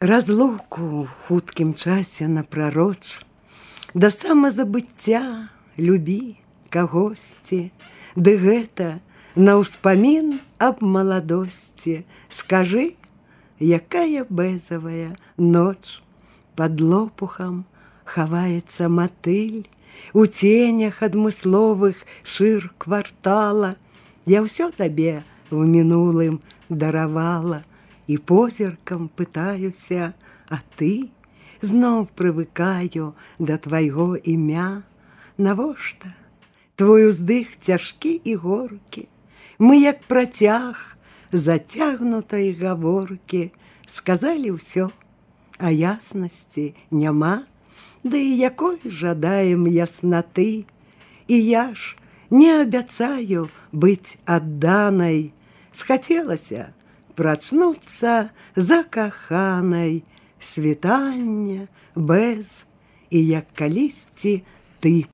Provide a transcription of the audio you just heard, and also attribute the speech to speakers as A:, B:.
A: Разлуку ў хуткім часе напрароч, да самазабыцця любі кагосьці, ды гэта на ўспамін аб маладосці. Скажы, якая бэзавая ноч, пад лопухам хаваецца матыль, у ценях адмысловых шыр квартала. Я ўсё табе в мінулым даравала, і позіркам пытаюся, а ты? Зноў прывыкаю да твайго імя. Навошта? Твой уздых цяжкі і горкі. Мы, як працяг зацягнутай гаворкі, сказалі ўсё, а яснасці няма. Ды і якой жадаем яснаты? І я ж не абяцаю быць адданай. Схацелася прачнуцца закаханай, світання без, і як калісьці ты.